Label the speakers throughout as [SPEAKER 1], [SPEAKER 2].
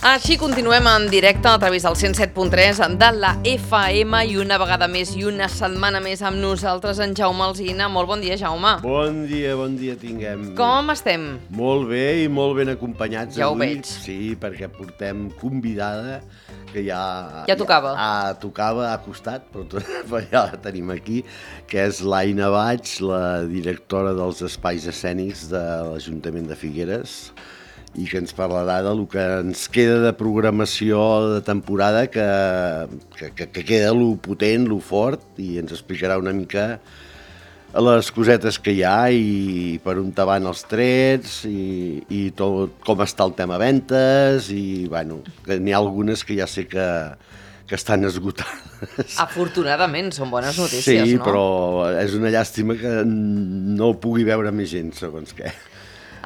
[SPEAKER 1] Així continuem en directe a través del 107.3 de la FM i una vegada més i una setmana més amb nosaltres en Jaume Alsina. Molt bon dia, Jaume.
[SPEAKER 2] Bon dia tinguem.
[SPEAKER 1] Com estem?
[SPEAKER 2] Molt bé i molt ben acompanyats
[SPEAKER 1] ja
[SPEAKER 2] avui.
[SPEAKER 1] Ho veig.
[SPEAKER 2] Sí, perquè portem convidada que ja
[SPEAKER 1] tocava.
[SPEAKER 2] Tocava, ha costat, però ja la tenim aquí, que és l'Aina Baig, la directora dels espais escènics de l'Ajuntament de Figueres, i que ens parlarà del que ens queda de programació de temporada, que queda lo potent, lo fort, i ens explicarà una mica les cosetes que hi ha i per on van els trets i tot, com està el tema ventes, i bueno, que n'hi ha algunes que ja sé que estan esgotades.
[SPEAKER 1] Afortunadament, són bones notícies,
[SPEAKER 2] sí,
[SPEAKER 1] no?
[SPEAKER 2] Sí, però és una llàstima que no ho pugui veure més gent, segons què.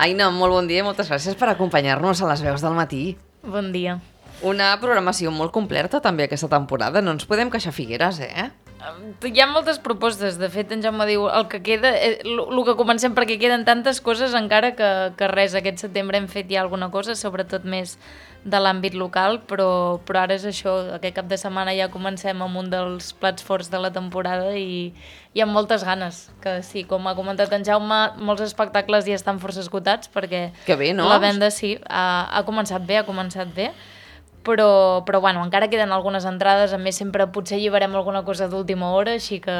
[SPEAKER 1] Aina, molt bon dia i moltes gràcies per acompanyar-nos a les veus del matí.
[SPEAKER 3] Bon dia.
[SPEAKER 1] Una programació molt completa també aquesta temporada, no ens podem queixar Figueres,
[SPEAKER 3] Hi ha moltes propostes, de fet en Jaume diu el que queda, el que comencem perquè queden tantes coses encara que res, aquest setembre hem fet ja alguna cosa, sobretot més de l'àmbit local, però ara és això, aquest cap de setmana ja comencem amb un dels plats forts de la temporada i amb moltes ganes, que sí, com ha comentat en Jaume, molts espectacles ja estan força esgotats perquè
[SPEAKER 1] que bé, no?
[SPEAKER 3] La venda sí, ha començat bé, però bueno, encara queden algunes entrades, a més sempre potser lliberem alguna cosa d'última hora, així que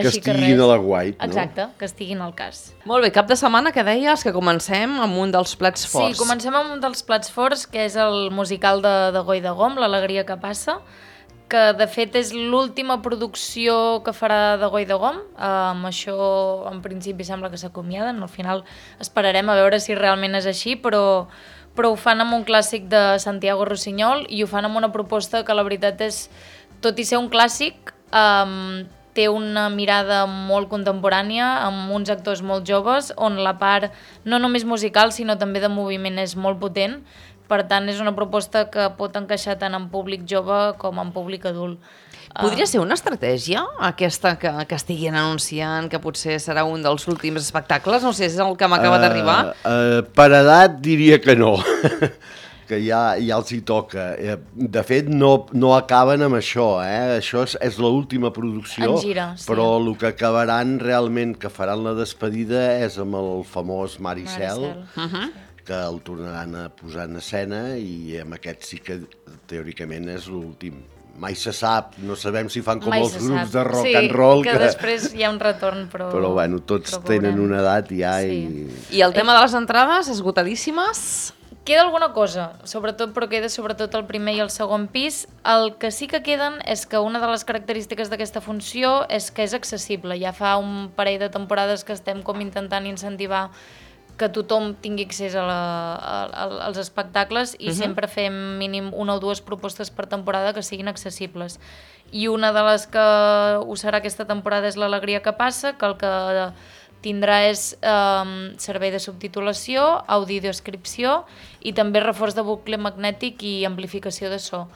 [SPEAKER 2] estiguin
[SPEAKER 3] res.
[SPEAKER 2] A l'aguait, no?
[SPEAKER 3] Exacte, que estiguin al cas.
[SPEAKER 1] Molt bé, cap de setmana que deies que comencem amb un dels plats forts.
[SPEAKER 3] Sí, comencem amb un dels plats forts, que és el musical de Goi de Gom, L'alegria que passa, que de fet és l'última producció que farà de Goi de Gom. Amb això en principi sembla que s'acomiaden, al final esperarem a veure si realment és així, però ho fan amb un clàssic de Santiago Rossinyol i ho fan amb una proposta que la veritat és, tot i ser un clàssic, té una mirada molt contemporània, amb uns actors molt joves, on la part no només musical sinó també de moviment és molt potent, per tant és una proposta que pot encaixar tant en públic jove com en públic adult.
[SPEAKER 1] Podria ser una estratègia, aquesta que estiguin anunciant, que potser serà un dels últims espectacles? No sé, és el que m'acaba d'arribar.
[SPEAKER 2] Per edat diria que no, que ja els hi toca. De fet, no acaben amb això, Això és l'última producció,
[SPEAKER 3] en gira, sí.
[SPEAKER 2] Però el que acabaran realment, que faran la despedida, és amb el famós Mar i Cel, que el tornaran a posar en escena, i amb aquest sí que teòricament és l'últim. Mai se sap, no sabem si fan com els grups de rock and roll.
[SPEAKER 3] Sí, que després hi ha un retorn, però
[SPEAKER 2] bueno, tots tenen una edat ja
[SPEAKER 3] sí.
[SPEAKER 1] I el tema de les entrades, esgotadíssimes?
[SPEAKER 3] Queda alguna cosa, però queda sobretot el primer i el segon pis. El que sí que queden és que una de les característiques d'aquesta funció és que és accessible. Ja fa un parell de temporades que estem com intentant incentivar que tothom tingui accés als espectacles i sempre fem mínim una o dues propostes per temporada que siguin accessibles. I una de les que ho serà aquesta temporada és L'alegria que passa, que el que tindrà és servei de subtitulació, audiodescripció i també reforç de bucle magnètic i amplificació de so.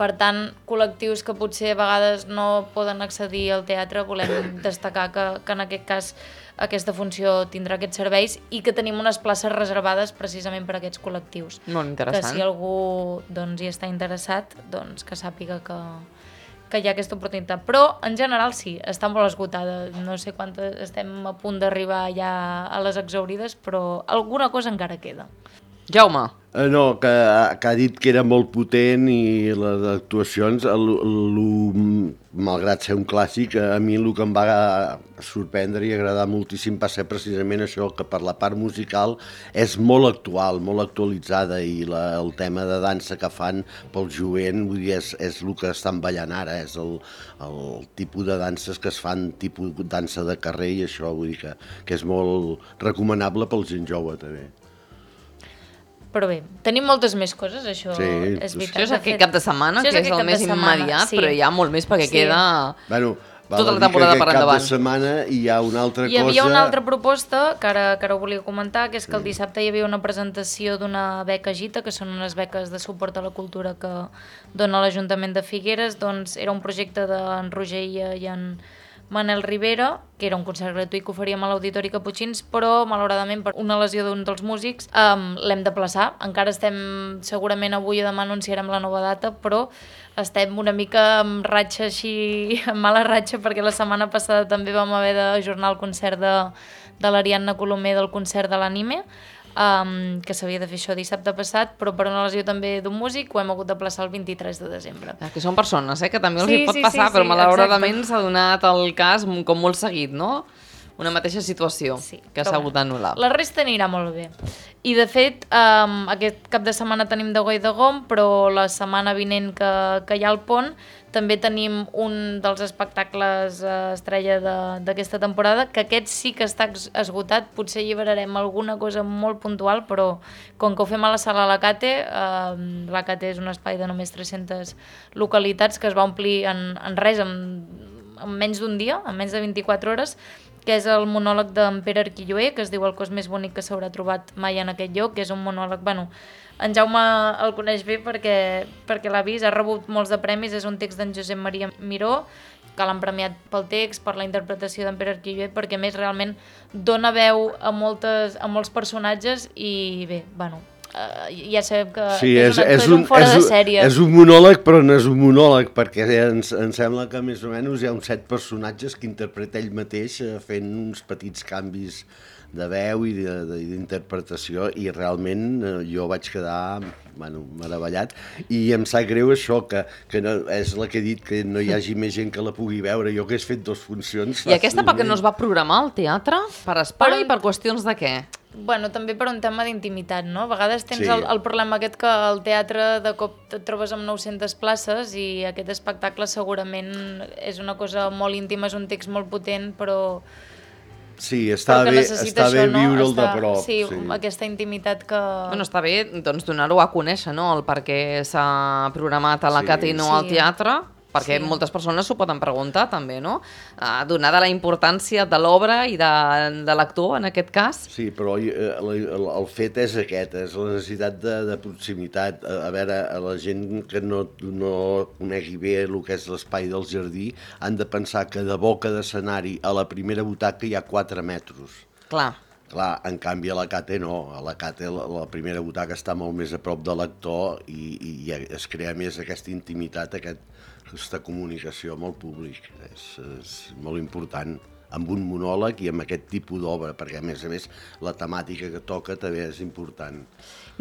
[SPEAKER 3] Per tant, col·lectius que potser a vegades no poden accedir al teatre, volem destacar que en aquest cas aquesta funció tindrà aquests serveis i que tenim unes places reservades precisament per a aquests col·lectius.
[SPEAKER 1] Molt interessant.
[SPEAKER 3] Que si algú hi està interessat, que sàpiga que hi ha aquesta oportunitat. Però, en general, sí, està molt esgotada. No sé quantes estem a punt d'arribar ja a les exhaurides, però alguna cosa encara queda.
[SPEAKER 1] Jaume.
[SPEAKER 2] No, que ha dit que era molt potent i les actuacions, malgrat ser un clàssic, a mi el que em va sorprendre i agradar moltíssim va ser precisament això, que per la part musical és molt actual, molt actualitzada, i el tema de dansa que fan pel jovent, vull dir, és el que estan ballant ara, és el tipus de danses que es fan, tipus dansa de carrer, i això vull dir que és molt recomanable pel gent jove també.
[SPEAKER 3] Però bé, tenim moltes més coses, això és veritat.
[SPEAKER 1] Això és aquest cap de setmana, que és el més immediat, però hi ha molt més perquè queda tota la temporada per endavant.
[SPEAKER 2] Cap de setmana hi ha una altra cosa...
[SPEAKER 3] Hi havia una altra proposta, que ara ho volia comentar, que és que el dissabte hi havia una presentació d'una beca Gita, que són unes beques de suport a la cultura que dona l'Ajuntament de Figueres. Doncs era un projecte d'en Roger i en Manel Rivera, que era un concert gratuït que oferíem a l'Auditori Caputxins, però malauradament per una lesió d'un dels músics l'hem de plaçar. Encara estem, segurament avui o demà anunciarem la nova data, però estem una mica amb ratxa així, amb mala ratxa, perquè la setmana passada també vam haver d'ajornar el concert de l'Ariadna Colomer del concert de l'Anime, que s'havia de fer això dissabte passat, però per una lesió també d'un músic ho hem hagut de plaçar el 23 de desembre.
[SPEAKER 1] Que són persones, que també els hi pot passar, però malauradament s'ha donat el cas com molt seguit, no? Una mateixa situació que s'ha hagut d'anul·lar.
[SPEAKER 3] La resta anirà molt bé. I de fet, aquest cap de setmana tenim de Goi de Gom, però la setmana vinent que hi ha el pont també tenim un dels espectacles estrella d'aquesta temporada, que aquest sí que està esgotat. Potser lliberarem alguna cosa molt puntual, però com que ho fem a la sala Lacate, Lacate és un espai de només 300 localitats que es va omplir en res, en menys d'un dia, en menys de 24 hores, que és el monòleg d'en Pere Arquilloé, que es diu El cos més bonic que s'haurà trobat mai en aquest lloc, que és un monòleg, en Jaume el coneix bé perquè l'ha vist, ha rebut molts de premis, és un text d'en Josep Maria Miró, que l'han premiat pel text, per la interpretació d'en Pere Arquilloé, perquè a més realment dona veu a molts personatges i bé, ja sabem que és un fora de sèrie.
[SPEAKER 2] És un monòleg, però no és un monòleg, perquè ens sembla que més o menys hi ha uns 7 personatges que interpreta ell mateix fent uns petits canvis de veu i d'interpretació, i realment jo vaig quedar meravellat, i em sap greu això, que no, és la que he dit, que no hi hagi més gent que la pugui veure. Jo que he fet 2 funcions...
[SPEAKER 1] I aquesta perquè no es va programar al teatre? Per espai i per qüestions de què?
[SPEAKER 3] També per un tema d'intimitat, no? A vegades tens el problema aquest que al teatre de cop et trobes amb 900 places i aquest espectacle segurament és una cosa molt íntima, és un text molt potent, però...
[SPEAKER 2] Sí, està bé viure'l de prop.
[SPEAKER 3] Sí, aquesta intimitat que...
[SPEAKER 1] Està bé donar-ho a conèixer, no? El per què s'ha programat a la Cate i no al teatre, perquè moltes persones s'ho poden preguntar també, no? Donada la importància de l'obra i de l'actor, en aquest cas.
[SPEAKER 2] Sí, però el fet és aquest, és la necessitat de proximitat. A veure, a la gent que no conegui bé el que és l'espai del jardí han de pensar que de boca d'escenari a la primera butaca hi ha 4 metres.
[SPEAKER 1] Clar,
[SPEAKER 2] en canvi a la Cate no, a la Cate la primera butaca està molt més a prop de l'actor i es crea més aquesta intimitat, aquesta comunicació amb el públic. És molt important, amb un monòleg i amb aquest tipus d'obra, perquè a més la temàtica que toca també és important.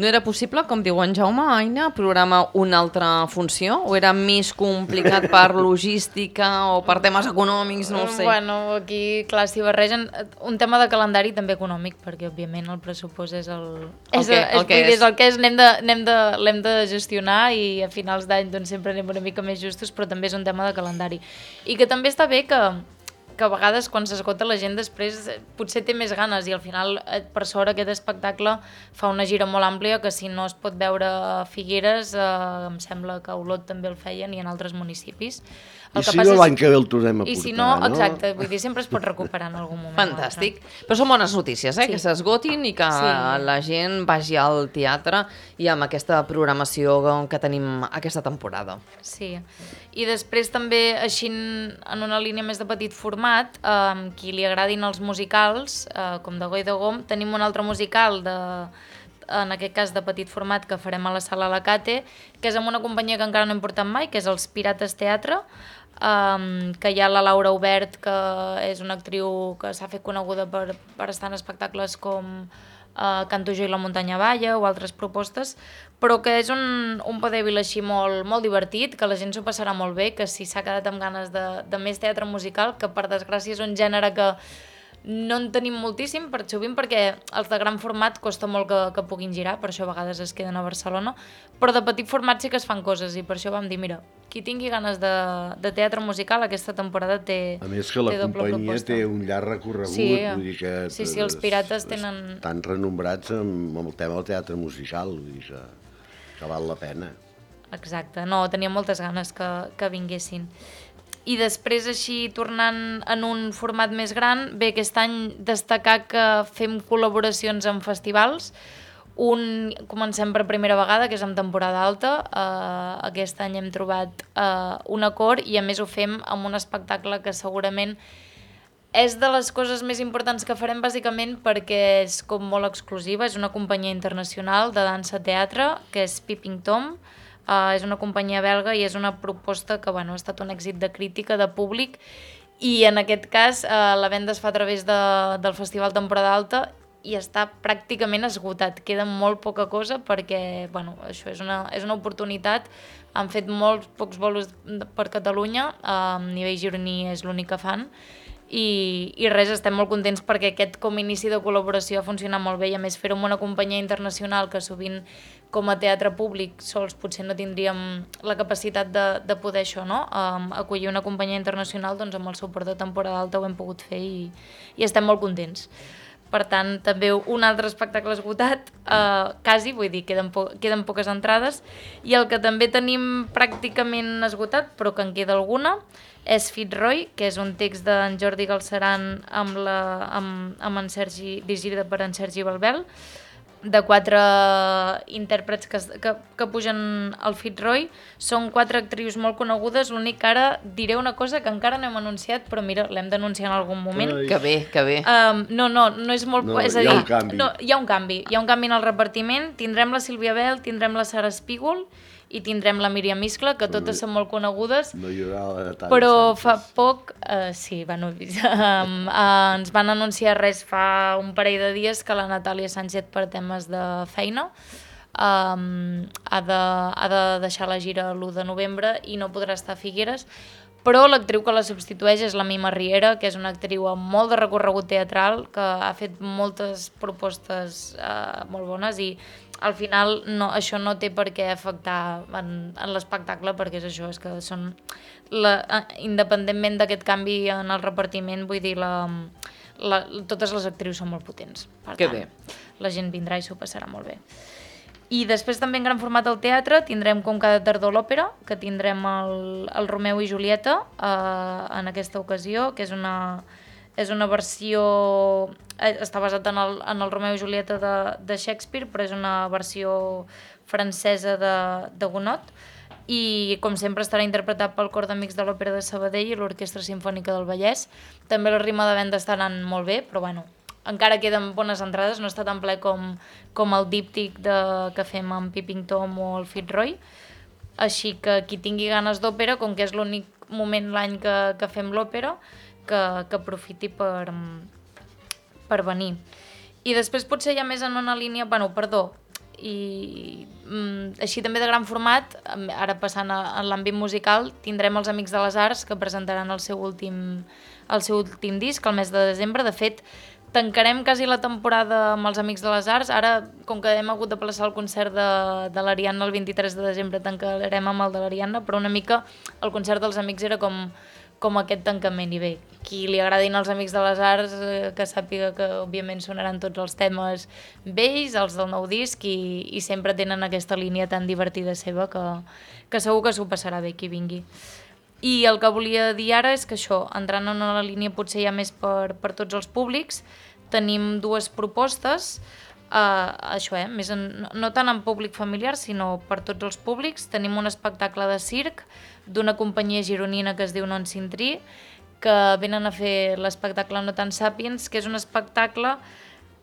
[SPEAKER 1] No era possible, com diu en Jaume, Aina, programar una altra funció? O era més complicat per logística o per temes econòmics, no ho sé?
[SPEAKER 3] Aquí, clar, s'hi barregen un tema de calendari també econòmic, perquè, òbviament, el pressupost és el que és. L'hem de gestionar i a finals d'any sempre anem una mica més justos, però també és un tema de calendari. I que també està bé que a vegades quan s'esgota la gent després potser té més ganes i al final per sort aquest espectacle fa una gira molt àmplia que si no es pot veure a Figueres em sembla que a Olot també el feien i en altres municipis.
[SPEAKER 2] I si no l'any que ve el tornem a portar, no?
[SPEAKER 3] I si no, exacte, vull dir, sempre es pot recuperar en algun moment.
[SPEAKER 1] Fantàstic. Però són bones notícies, que s'esgotin i que la gent vagi al teatre i amb aquesta programació que tenim aquesta temporada.
[SPEAKER 3] Sí. I després també, així en una línia més de petit format, qui li agradin els musicals, com de Goi de Gom, tenim un altre musical en aquest cas de petit format que farem a la sala Lacate, que és amb una companyia que encara no hem portat mai, que és els Pirates Teatre, que hi ha la Laura Obert, que és una actriu que s'ha fet coneguda per estar en espectacles com Canto jo i la muntanya balla o altres propostes, però que és un vodevil així molt divertit, que la gent s'ho passarà molt bé, que si s'ha quedat amb ganes de més teatre musical, que per desgràcia és un gènere que no en tenim moltíssim, sovint perquè els de gran format costa molt que puguin girar, per això a vegades es queden a Barcelona, però de petit format sí que es fan coses i per això vam dir, mira, qui tingui ganes de teatre musical aquesta temporada té doble proposta.
[SPEAKER 2] A més que la companyia té un llarg recorregut, vull dir que
[SPEAKER 3] sí, els Pirates tenen...
[SPEAKER 2] estan renombrats amb el tema del teatre musical, vull dir que val la pena.
[SPEAKER 3] Exacte, no, tenia moltes ganes que vinguessin. I després, així, tornant en un format més gran, bé, aquest any destacar que fem col·laboracions amb festivals. Comencem per primera vegada, que és en temporada alta. Aquest any hem trobat un acord i a més ho fem amb un espectacle que segurament és de les coses més importants que farem, bàsicament perquè és com molt exclusiva. És una companyia internacional de dansa-teatre, que és Peeping Tom. És una companyia belga i és una proposta que ha estat un èxit de crítica, de públic, i en aquest cas la venda es fa a través del Festival Temporada Alta i està pràcticament esgotat. Queda molt poca cosa perquè això és una oportunitat. Han fet molts pocs bolos per Catalunya, a nivell gironí és l'únic que fan, i res, estem molt contents perquè aquest com a inici de col·laboració ha funcionat molt bé i a més fer-ho amb una companyia internacional que sovint com a teatre públic sols potser no tindríem la capacitat de poder això, no? Acollir una companyia internacional, doncs amb el suport de temporada alta ho hem pogut fer i estem molt contents. Per tant, també un altre espectacle esgotat, quasi, vull dir, queden poques entrades, i el que també tenim pràcticament esgotat, però que en queda alguna, és Fitzroy, que és un text d'en Jordi Galceran dirigida per en Sergi Balbel, de 4 intèrprets que pugen al Fitzroy. Són 4 actrius molt conegudes, l'únic que ara diré una cosa que encara no hem anunciat, però mira, l'hem d'anunciar en algun moment.
[SPEAKER 1] Que bé.
[SPEAKER 3] No és molt...
[SPEAKER 2] No,
[SPEAKER 3] és a dir,
[SPEAKER 2] hi ha un canvi.
[SPEAKER 3] No, hi ha un canvi en el repartiment. Tindrem la Sílvia Bel, tindrem la Sara Espígol i tindrem la Míriam Iscla, que totes són molt conegudes.
[SPEAKER 2] No hi haurà tant.
[SPEAKER 3] Però fa poc, ens van anunciar fa un parell de dies que la Natàlia Sánchez, per temes de feina, ha de deixar la gira l'1 de novembre i no podrà estar a Figueres, però l'actriu que la substitueix és la Mima Riera, que és una actriu amb molt de recorregut teatral, que ha fet moltes propostes molt bones i al final això no té per què afectar en l'espectacle, perquè és això, és que són independentment d'aquest canvi en el repartiment, vull dir, totes les actrius són molt potents. Per tant, la gent vindrà i s'ho passarà molt bé. I després també en gran format al teatre tindrem com cada tardor l'òpera, que tindrem el Romeu i Julieta en aquesta ocasió, que és una versió... Està basat en el Romeu i Julieta de Shakespeare, però és una versió francesa de Gounod, i com sempre estarà interpretat pel Cor d'Amics de l'Òpera de Sabadell i l'Orquestra Simfònica del Vallès. També la rima de venda estaran molt bé, però encara queden bones entrades, no està tan ple com el díptic que fem amb Peeping Tom o el Fitzroy. Així que qui tingui ganes d'òpera, com que és l'únic moment l'any que fem l'òpera, que aprofiti per venir. I després potser ja més en una línia, així també de gran format, ara passant a l'àmbit musical, tindrem els Amics de les Arts, que presentaran el seu últim disc el mes de desembre. De fet, tancarem quasi la temporada amb els Amics de les Arts. Ara, com que hem hagut de plaçar el concert de l'Ariadna el 23 de desembre, tancarem amb el de l'Ariadna, però una mica el concert dels Amics era com aquest tancament. I bé, qui li agradin els Amics de les Arts, que sàpiga que òbviament sonaran tots els temes vells, els del nou disc, i sempre tenen aquesta línia tan divertida seva que segur que s'ho passarà bé qui vingui. I el que volia dir ara és que això, entrant en una línia potser ja més per tots els públics, tenim 2 propostes, no tant en públic familiar, sinó per tots els públics. Tenim un espectacle de circ d'una companyia gironina que es diu Non Sintrí, que venen a fer l'espectacle No Tan Sapiens, que és un espectacle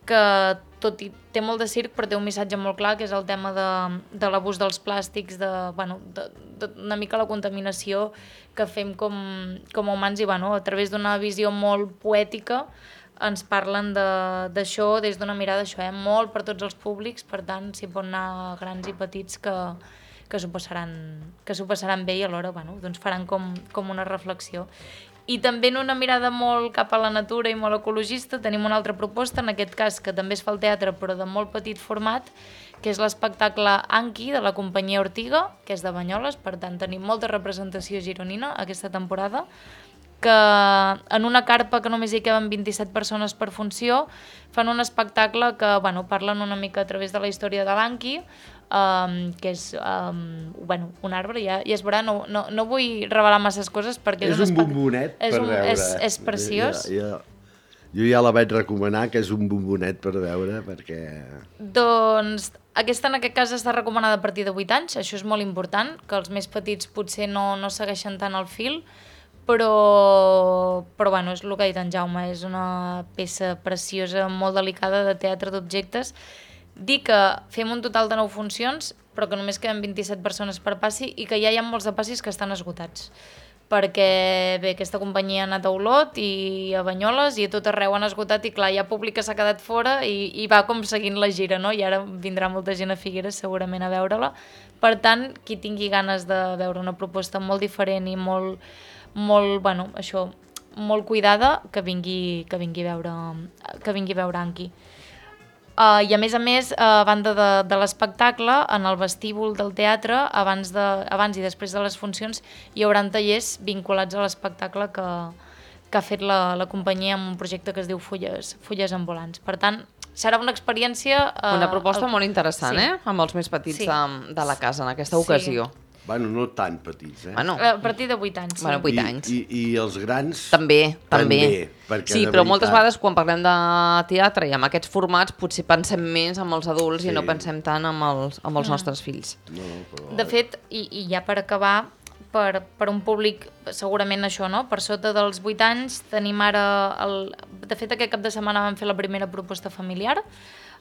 [SPEAKER 3] que tot i té molt de circ però té un missatge molt clar, que és el tema de l'abús dels plàstics, una mica la contaminació que fem com a humans, i a través d'una visió molt poètica ens parlen d'això des d'una mirada molt per tots els públics. Per tant, s'hi pot anar grans i petits que s'ho passaran bé i alhora faran com una reflexió. I també en una mirada molt cap a la natura i molt ecologista tenim una altra proposta, en aquest cas que també es fa al teatre però de molt petit format, que és l'espectacle Anki de la companyia Ortiga, que és de Banyoles. Per tant, tenim molta representació gironina aquesta temporada, que en una carpa que només hi caben 27 persones per funció fan un espectacle que parlen una mica a través de la història de l'Anki, que és un arbre, ja es veurà, no vull revelar masses coses perquè
[SPEAKER 2] és un bombonet per veure.
[SPEAKER 3] És preciós.
[SPEAKER 2] Jo ja la vaig recomanar, que és un bombonet per veure, perquè...
[SPEAKER 3] Doncs aquesta en aquest cas està recomanada a partir de 8 anys, això és molt important, que els més petits potser no segueixen tant el fil, però bueno, és el que ha dit en Jaume, és una peça preciosa, molt delicada, de teatre d'objectes. Dir que fem un total de 9 funcions, però que només queden 27 persones per passi i que ja hi ha molts de passis que estan esgotats. Perquè bé, aquesta companyia ha anat a Olot i a Banyoles i a tot arreu han esgotat i clar, hi ha públic que s'ha quedat fora i va com seguint la gira, no? I ara vindrà molta gent a Figueres segurament a veure-la. Per tant, qui tingui ganes de veure una proposta molt diferent i molt bueno, això, molt cuidada, que vingui a veure Anki. I a més, a banda de l'espectacle, en el vestíbul del teatre, abans i després de les funcions, hi haurà tallers vinculats a l'espectacle que ha fet la companyia amb un projecte que es diu Fulles Ambulants. Per tant, serà una experiència...
[SPEAKER 1] Una proposta molt interessant, sí. Amb els més petits de la casa en aquesta ocasió.
[SPEAKER 2] Bueno, no tan petits,
[SPEAKER 1] Bueno,
[SPEAKER 3] a partir de 8 anys.
[SPEAKER 1] Sí. Bueno, 8 anys.
[SPEAKER 2] I els grans...
[SPEAKER 1] També. Sí, però moltes vegades quan parlem de teatre i amb aquests formats potser pensem més amb els adults i no pensem tant amb els nostres fills.
[SPEAKER 2] No, però...
[SPEAKER 3] De fet, i ja per acabar, per un públic segurament això, no? Per sota dels 8 anys tenim ara... De fet, aquest cap de setmana vam fer la primera proposta familiar,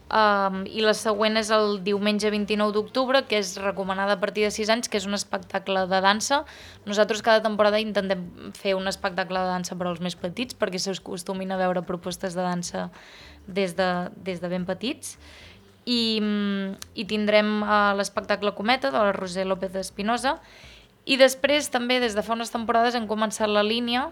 [SPEAKER 3] i la següent és el diumenge 29 d'octubre, que és recomanada a partir de 6 anys, que és un espectacle de dansa. Nosaltres cada temporada intentem fer un espectacle de dansa per als més petits, perquè s'acostumin a veure propostes de dansa des de ben petits. I tindrem l'espectacle Cometa, de la Roser López Espinosa, i després també des de fa unes temporades hem començat la línia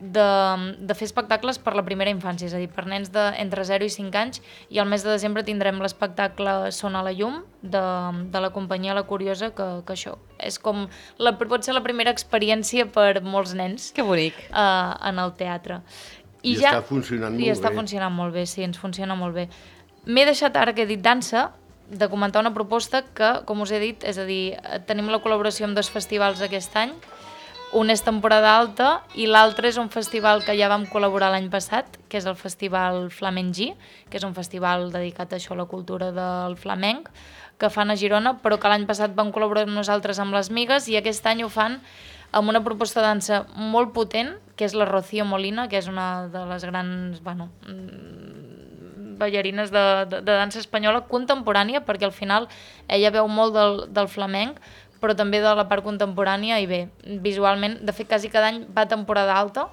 [SPEAKER 3] de fer espectacles per la primera infància, és a dir, per nens entre 0 i 5 anys, i al mes de desembre tindrem l'espectacle Son a la llum, de la companyia La Curiosa, que això és com, pot ser la primera experiència per molts nens.
[SPEAKER 1] Que bonic.
[SPEAKER 3] En el teatre.
[SPEAKER 2] I està funcionant molt bé.
[SPEAKER 3] I està funcionant molt bé, sí, ens funciona molt bé. M'he deixat, ara que he dit dansa, de comentar una proposta que, com us he dit, és a dir, tenim la col·laboració amb 2 festivals aquest any. Un és temporada alta i l'altre és un festival que ja vam col·laborar l'any passat, que és el Festival Flamenc, que és un festival dedicat a això, a la cultura del flamenc, que fan a Girona, però que l'any passat vam col·laborar nosaltres amb les Migues i aquest any ho fan amb una proposta de dansa molt potent, que és la Rocío Molina, que és una de les grans, ballarines de dansa espanyola contemporània, perquè al final ella veu molt del flamenc, però també de la part contemporània, i bé, visualment, de fet, quasi cada any va a temporada alta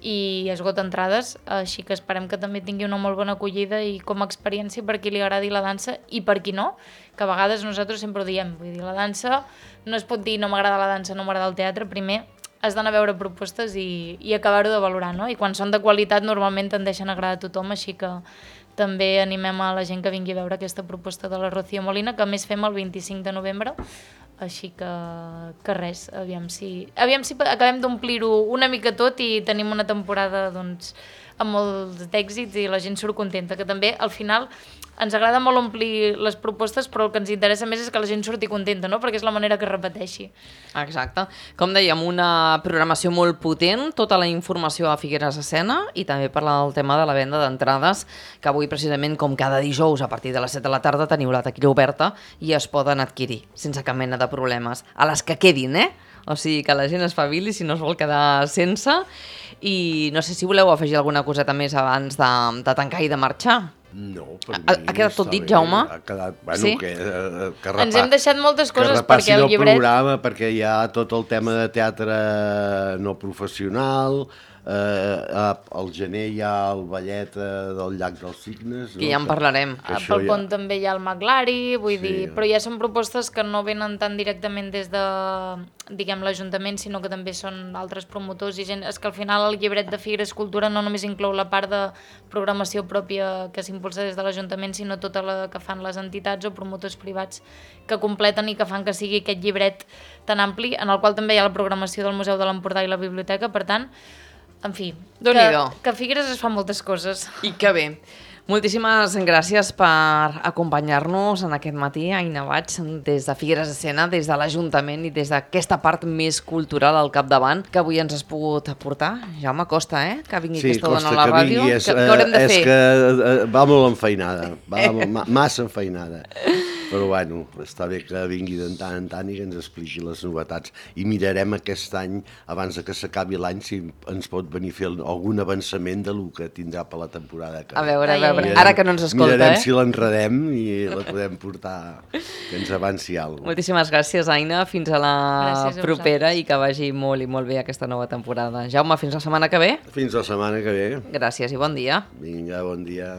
[SPEAKER 3] i esgota entrades, així que esperem que també tingui una molt bona acollida i com a experiència per qui li agradi la dansa i per qui no, que a vegades nosaltres sempre ho diem, vull dir, la dansa no es pot dir no m'agrada la dansa, no m'agrada el teatre, primer has d'anar a veure propostes i acabar-ho de valorar, no? I quan són de qualitat normalment tendeixen a agradar a tothom, així que també animem a la gent que vingui a veure aquesta proposta de la Rocío Molina, que a més fem el 25 de novembre, així que res, aviam si acabem d'omplir-ho una mica tot i tenim una temporada doncs, amb molts d'èxits i la gent surt contenta, que també al final ens agrada molt omplir les propostes, però el que ens interessa més és que la gent surti contenta, no? Perquè és la manera que es repeteixi.
[SPEAKER 1] Exacte. Com dèiem, una programació molt potent, tota la informació a Figueres Escena i també parlar del tema de la venda d'entrades, que avui precisament com cada dijous a partir de les 7 de la tarda teniu la taquilla oberta i es poden adquirir sense cap mena de problemes. A les que quedin, O sigui, que la gent es espavili si no es vol quedar sense. I no sé si voleu afegir alguna coseta més abans de tancar i de marxar.
[SPEAKER 2] No, per mi
[SPEAKER 1] ha quedat tot dit, Jaume?
[SPEAKER 2] Ha quedat, bueno,
[SPEAKER 1] sí?
[SPEAKER 2] que
[SPEAKER 3] ens hem deixat moltes coses
[SPEAKER 2] perquè el programa, perquè hi ha tot el tema de teatre no professional, al gener hi ha el ballet del Llac dels Cignes.
[SPEAKER 1] Que ja en parlarem.
[SPEAKER 3] Pel pont també hi ha el Maglari, vull dir, però ja són propostes que no venen tan directament des de, diguem, l'Ajuntament, sinó que també són altres promotors i gent. És que al final el llibret de Figueres Cultura no només inclou la part de programació pròpia que s'impulsa des de l'Ajuntament, sinó tota la que fan les entitats o promotors privats que completen i que fan que sigui aquest llibret tan ampli, en el qual també hi ha la programació del Museu de l'Empordà i la biblioteca, per tant, en fi, que a Figueres es fan moltes coses.
[SPEAKER 1] I que bé. Moltíssimes gràcies per acompanyar-nos en aquest matí, Aina Baig, des de Figueres de Sena, des de l'Ajuntament i des d'aquesta part més cultural al capdavant que avui ens has pogut aportar. Jaume, costa, que vingui aquesta dona a la ràdio. Què haurem de fer?
[SPEAKER 2] És que va molt enfeinada, massa enfeinada. Però bueno, està bé que vingui de tant en tant i que ens expliqui les novetats. I mirarem aquest any, abans de que s'acabi l'any, si ens pot venir a fer algun avançament del que tindrà per la temporada que ve.
[SPEAKER 1] A veure, ara que no ens escolta,
[SPEAKER 2] mirarem si l'enredem i la podem portar, que ens avanci alguna cosa.
[SPEAKER 1] Moltíssimes gràcies, Aina. Fins a la propera i que vagi molt i molt bé aquesta nova temporada. Jaume, fins la setmana que ve.
[SPEAKER 2] Fins la setmana que ve.
[SPEAKER 1] Gràcies i bon dia.
[SPEAKER 2] Vinga, bon dia.